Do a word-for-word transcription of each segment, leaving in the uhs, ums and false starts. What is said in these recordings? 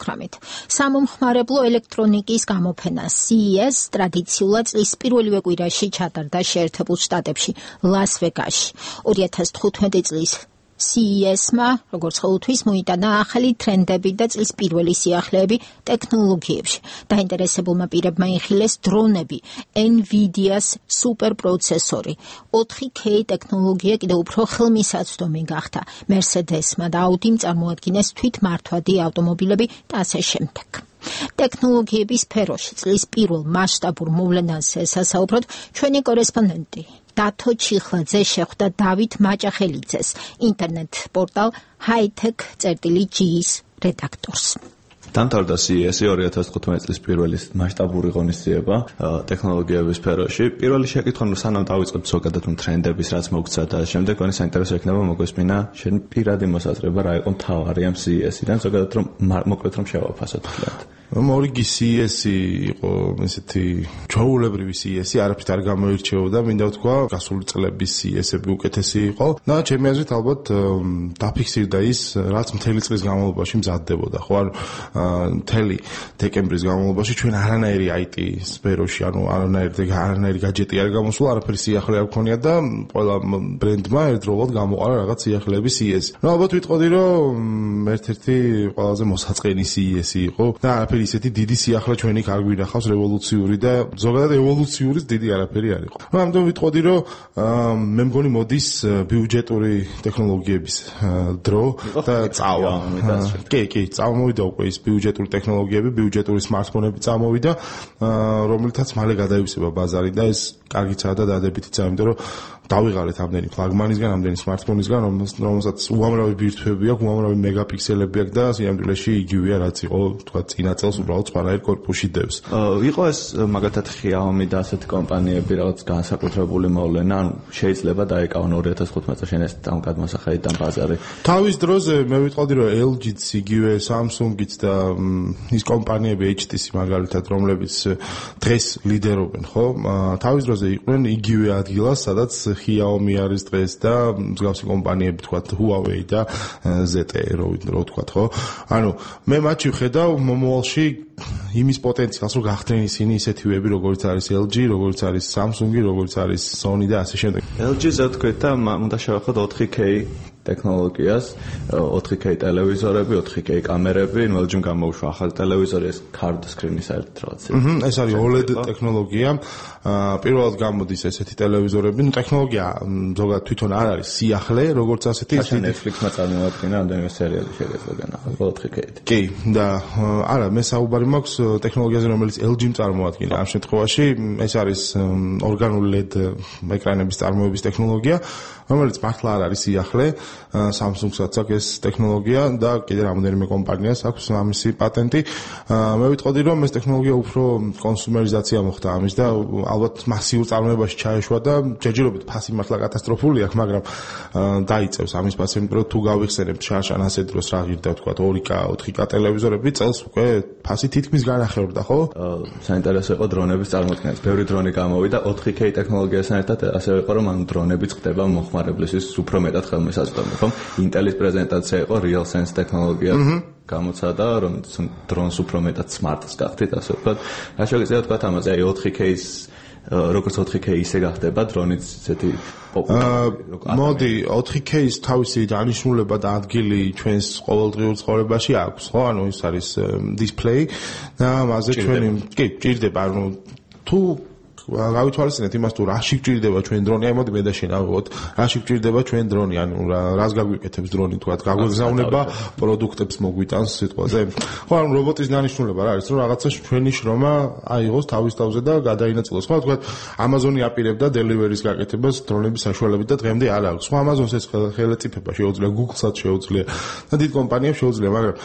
ოცდაოთხმეტ. სამომხმარებლო ელექტრონიკის გამოფენა C E S ტრადიციულად წლის პირველივე კვირაში ჩატარდა შეერთებულ შტატებში, ლას-ვეგასში. ორი ათას თხუთმეტი წლის C E S-მა, როგორც ყოველთვის, მოიტანა ახალი ტრენდები და წლის პირველი სიახლეები ტექნოლოგიებში. დაინტერესებულმა პირებმა იხილეს დრონები, NVIDIA-ს სუპერპროცესორი. ოთხი K ტექნოლოგია კიდევ უფრო ხელმისაწვდომი გახდა. Mercedes-მა და Audi-მ წარმოადგინეს თვითმართვადი ავტომობილები და ასე შემდეგ. ტექნოლოგიების სფეროში წლის პირველ მასშტაბურ მოვლენაზე სასაუბროდ ჩვენი კორესპონდენტი დათო ჩიხლაძე შეხვდა დავით მაჭახელიძეს, ინტერნეტ პორტალ hightech.gis რედაქტორს. დამთავრდა C E S ორი ათას თხუთმეტი წლის პირველი მასშტაბური ღონისძიება ტექნოლოგიების სფეროში. პირველი შეკითხვა, რომ სანამ დავიწყებთ ზოგადად ტრენდების, რაც მოგცა და შემდეგ ვენი საინტერესო იქნება მოგვესმინა შენ პირადი მოსაზრება რა იყო მთავარი ამ C E S-იდან, ზოგადად რომ მოკლედ რომ შევაფასოთ თქვათ. მორიგი C E S იყო ესეთი ჩვეულებრივი C E S, არაფრით არ გამოირჩეოდა, მინდა ვთქვა, გასული წლების C E S-ები უკეთესი იყო და ჩემი აზრით ალბათ დაფიქსირდა ის, რაც მთელი წლის განმავლობაში მზადდებოდა, ხო, ანუ მთელი დეკემბრის განმავლობაში ჩვენ არანაირი I T სფეროში, ანუ არანაირი არანაირი гаджеტი არ გამოსულა, არაფერი სიახლე არ გქონია და ყველა ბრენდმა ერთდროულად გამოყარა რაღაც სიახლეების C E S. ნუ ალბათ ვიტყოდი, რომ ერთ-ერთი ყველაზე მოსაწყენი C E S იყო და არაფერი ისეთი დიდი სიახლე ჩვენი არ გვინახავს რევოლუციური და ზოგადად ევოლუციური დიდი არაფერი არ იყო. ნუ ამიტომ ვიტყოდი, რომ მე მგონი მოდის ბიუჯეტური ტექნოლოგიების დრო და წავა. კი, კი, წამოვიდა უკვე ის ბიუჯეტური ტექნოლოგიები, ბიუჯეტური smartphone-ები წამოვიდა, რომელთაც მალე გადაივსება ბაზარი და ეს კარგიცაა და დადებითიც, იმიტომ რომ დავიღალეთ ამდენი ფლაგმანისგან, ამდენი smartphone-ისგან, რომელსაც უამრავი ბირთვები აქვს, უამრავი მეგაპიქსელები აქვს და სიამდვილეში იგივეა, რაც იყო, თქვა, წინა წელს უბრალოდ სპანაერ კორპუსში დევს. იყო ეს მაგათად Xiaomi და ასეთი კომპანიები რაღაც განსაკუთრებული მოვლენა, ანუ შეიძლება დაეკავონ ორი ათას თხუთმეტ წელს ეს ამ გადმოსახედიდან ბაზარი. თავის დროზე მე ვიტყოდი, რომ L G-ც, იგივე Samsung-იც და ის კომპანიები H T C მაგალითად, რომლებიც დღეს ლიდერობენ, ხო? თავის დროზე იყვნენ იგივე ადგილას, სადაც Xiaomi არის დღეს და მსგავსი კომპანიები, თქვა, Huawei და Z T E, რო ვთქვა, ხო? ანუ მე მათში ვხედავ მომავალში იმის პოტენციალს, რომ გახდნენ ისინი ისეთივეები, როგორც არის L G, როგორც არის Samsung, როგორც არის Sony და ასე შემდეგ. L G-ზე ვთქვით და უნდა შევახოთ ოთხი K ტექნოლოგიას, ოთხი K ტელევიზორები, ოთხი K კამერები, ნუ L G-მ გამოუშვა ახალი ტელევიზორი, ეს card screen-ის ერთ რაღაცა. ეს არის O L E D ტექნოლოგია. პირველად გამოდის ესეთი ტელევიზორები, ნუ ტექნოლოგია ზოგადად თვითონ არ არის სიახლე, როგორც ასეთი ისეთი Netflix-მა წარმოადგენა ამდენივე სერიალი შეგეძლო განახლა ოთხი K-ით. კი, და არა, მე საუბარი მაქვს ტექნოლოგიაზე, რომელიც L G-მ წარმოადგენა. ამ შემთხვევაში ეს არის ორგანული L E D ეკრანების წარმოების ტექნოლოგია, რომელიც მართლა არ არის სიახლე. Samsung-საც აქვს ეს ტექნოლოგია და კიდე რამოდენიმე კომპანიას აქვს ამისი პატენტი. მე ვიტყოდი, რომ ეს ტექნოლოგია უფრო კონსუმერიზაცია მოხდა ამის და ალბათ მასიურ წარმოებაში ჩაეშვა და ჯერჯერობით ფასი მართლა კატასტროფული აქვს, მაგრამ დაიწევს ამის ფასი, იმიტომ რომ თუ გავიხსენებთ შარშან ასე დროს რა ღირდა, თქვა, ორი K, ოთხი K ტელევიზორები წელს უკვე ფასი თითქმის განახევრდა, ხო? საინტერესო იყო დრონების წარმოქმნა. ბევრი დრონი გამოვიდა ოთხი K ტექნოლოგიასთან ერთად, ასევე იყო, რომ ამ დრონებიც ხდება მოხმარებლისთვის უფრო მეტად ხელმისაწვდომი, ხო? Intel-ის პრეზენტაცია იყო RealSense ტექნოლოგია. გამოცადა, რომ დრონს უფრო მეტად smart-ს გახდით, ასე ვთქვათ. რა შეგიძლია თქვათ ამაზე, აი ოთხი K-ის როგორც ოთხი K ისე გახდება დრონიც ესეთი პოპულარული. მოდი, ოთხი K-ის თავისი დანიშნულება და ადგილი ჩვენს ყოველდღიურ ცხოვრებაში აქვს, ხო? ანუ ის არის display და ამაზე ჩვენი კი, ჭირდება, ანუ თუ გავითვალისწინეთ იმას, თუ რაში გჭირდება ჩვენ დრონი, აი მოდი მე და შენ ავიღოთ, რაში გჭირდება ჩვენ დრონი, ანუ რას გაგვიკეთებს დრონი, თქვა, გაგვეგზავნება პროდუქტებს მოგვიტანს სიტყვაზე. ხო, ანუ რობოტის დანიშნულება რა არის, რომ რაღაცა ჩვენი შრომა აიღოს თავის თავზე და გადაინაწილოს. ხო, თქვა, Amazon-ი აპირებდა delivery-ის გაკეთებას დრონების საშუალებით და დღემდე არ აქვს. ხო, Amazon-ს ეს ხელეწიფება შეუძლია, Google-საც შეუძლია და დიდ კომპანიებს შეუძლია, მაგრამ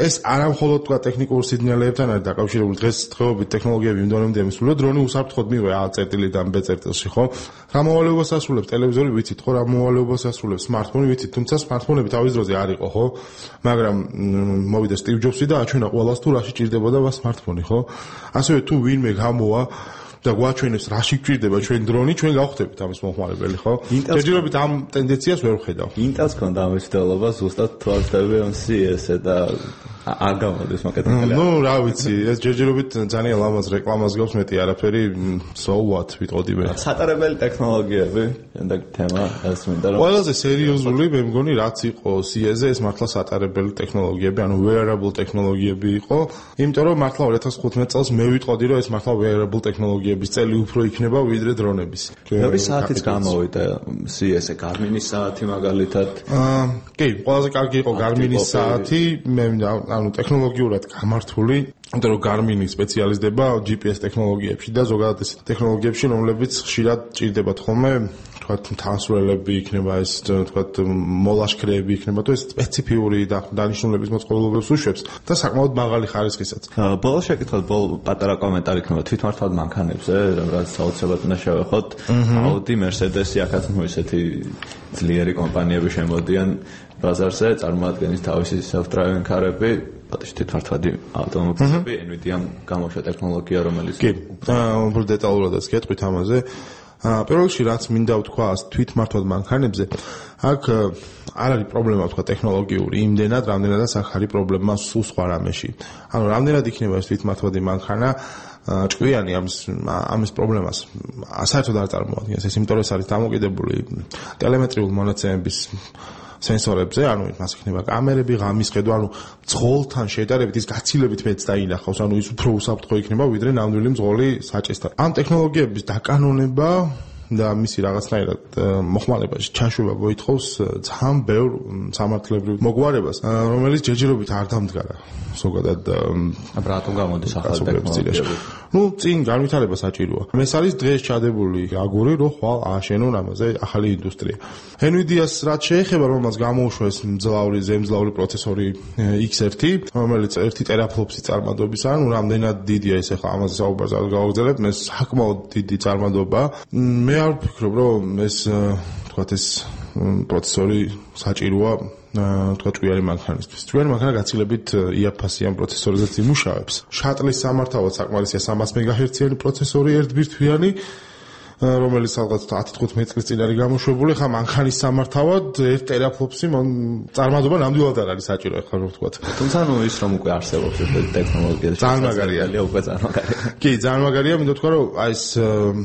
ეს არა მხოლოდ თქვა ტექნიკურ სიგნალებთან არის დაკავშირებული. დღეს დღეობით ტექნოლოგიები იმდენამდე მისულია, დრონი უსაფრთხოდ მიიღო A წერტილიდან B წერტილში, ხო? რა მოვალეობას ასრულებს ტელევიზორი, ვიცით, ხო? რა მოვალეობას ასრულებს smartphone-ი, ვიცით, თუმცა smartphone-ები თავის დროზე არ იყო, ხო? მაგრამ მოვიდა Steve Jobs-ი და აჩვენა ყველას თუ რაში ჭირდებოდა smartphone-ი, ხო? ასევე თუ ვინმე გამოვა და გვაჩვენებს რაში გჭირდება ჩვენ დრონი, ჩვენ გავხდებით ამის მომხმარებელი, ხო? ჯერჯერობით ამ ტენდენციას ვერ ვხედავ. Intel-ს ქონდა ამის მცდელობა ზუსტად თვალსდები ამ C E S-ზე და არ გამოდის მოკეთებული. ნუ რა ვიცი, ეს ჯერჯერობით ძალიან ლამაზ რეკლამას გავს, მეტი არაფერი so what ვიტყოდი მე. სატარებელი ტექნოლოგიები, და თემა ეს მინდა რომ ყველაზე სერიოზული მე მგონი რაც იყო C E S-ზე, ეს მართლა სატარებელი ტექნოლოგიები, ანუ wearable ტექნოლოგიები იყო, იმიტომ რომ მართლა ორი ათას ხუთმეტ წელს მე ვიტყოდი რომ ეს მართლა wearable ტექნოლოგიების წელი უფრო იქნება ვიდრე დრონების. ორი საათიც გამოვიდა C E S-ზე Garmin-ის საათი მაგალითად. აა, კი, ყველაზე კარგი იყო Garmin-ის საათი, მე ანუ ტექნოლოგიურად გამართული, იმიტომ რომ Garmin-ი სპეციალიზდება G P S ტექნოლოგიებში და ზოგადად ეს ტექნოლოგიებში, რომლებიც ხშირად ჭირდებათ ხოლმე, თქვათ, თანსვლელები იქნება ეს, თქვათ, მოლაშქრეები იქნება, თუ ეს სპეციფიური დანიშნულების მოწყობილობებს უშვებს და საკმაოდ მაღალი ხარისხისაც. ბოლოს შეკითხოთ, ბოლო პატარა კომენტარი იქნება თვითმართვად მანქანებზე, რაც საოცრად უნდა შევეხოთ. Audi, Mercedes-ი აქაც ნუ ესეთი ძლიერი კომპანიები შემოდიან ბაზარზე, წარმოადგენს თავისი self-driving კარები, პატიჟ თვითმართვადი ავტომობილები, Nvidia-მ გამოუშვა ტექნოლოგია, რომელიც კი, უფრო დეტალურადაც გეტყვით ამაზე. პირველ რიგში რაც მინდა ვთქვა თვითმართვად მანქანებზე, აქ არ არის პრობლემა ვთქვა ტექნოლოგიური, იმდენად, რამდენადაც აქ არის პრობლემა სულ სხვა რამეში. ანუ რამდენად იქნება ეს თვითმართვადი მანქანა ჭკვიანი ამის ამის პრობლემას საერთოდ არ წარმოადგენს, ეს იმიტომ რომ ეს არის დამოკიდებული ტელემეტრიული მონაცემების სენსორებზე, ანუ მას იქნება კამერები, ღამის ხედვა, ანუ მძღოლთან შედარებით ის გაცილებით მეც დაინახავს, ანუ ის უფრო უსაფრთხო იქნება ვიდრე ნამდვილი მძღოლი საჭესთან. ამ ტექნოლოგიების დაკანონება და მისი რაღაცნაირად მოხმარებაში ჩაშვება მოითხოვს ძალიან ბევრ სამართლებრივ მოგვარებას, რომელიც ჯერჯერობით არ დამდგარა. ზოგადად რატომ გამოდის ახალი ტექნოლოგიები? ნუ წინ განვითარება საჭიროა. ეს არის დღეს ჩადებული აგური, რომ ხვალ ააშენონ ამაზე ახალი ინდუსტრია. Nvidia-ს რაც შეეხება, რომელმაც გამოუშვა ეს მძლავრი ზემძლავრი პროცესორი X one, რომელიც ერთი ტერაფლოპსი წარმადობისაა, ნუ რამდენად დიდია ეს ახლა ამაზე საუბარს არ გავაგრძელებ, ეს საკმაოდ დიდი წარმადობაა. მე არ ვფიქრობ, რომ ეს თქვათ ეს პროცესორი საჭიროა თქვა ჭვიანი მანქანისთვის. ჭვიანი მანქანა გაცილებით იაფასიან პროცესორზეც იმუშავებს. შატლის სამართავად საკმარისია სამას მეგაჰერციანი პროცესორი ერთბირთვიანი, რომელიც ალბათ ათი თხუთმეტი წლის წინ არის გამოშვებული, ხა მანქანის სამართავად ერთ ტერაფლოპსი წარმადობა ნამდვილად არ არის საჭირო, ახლა რომ ვთქვათ. თუმცა ნუ ის რომ უკვე არსებობს ეს ტექნოლოგია, ძალიან მაგარია, უკვე ძალიან მაგარია. კი, ძალიან მაგარია, მინდა თქვა, რომ აი ეს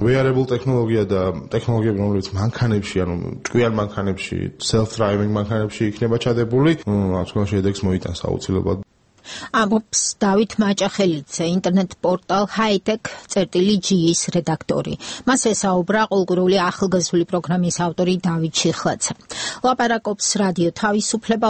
wearable ტექნოლოგია და ტექნოლოგიები, რომლებიც მანქანებში, ანუ ჭკვიან მანქანებში, self-driving მანქანებში იქნება ჩადებული, რა თქმა უნდა, შედეგს მოიტანს აუცილებლად. ამბობს დავით მაჭახელიძე, ინტერნეტ პორტალ hightech.gis რედაქტორი. მას ესაუბრა ყოლგურული ახალგაზრდული პროგრამის ავტორი დავით შიხლაძე. ლაპარაკობს რადიო თავისუფლება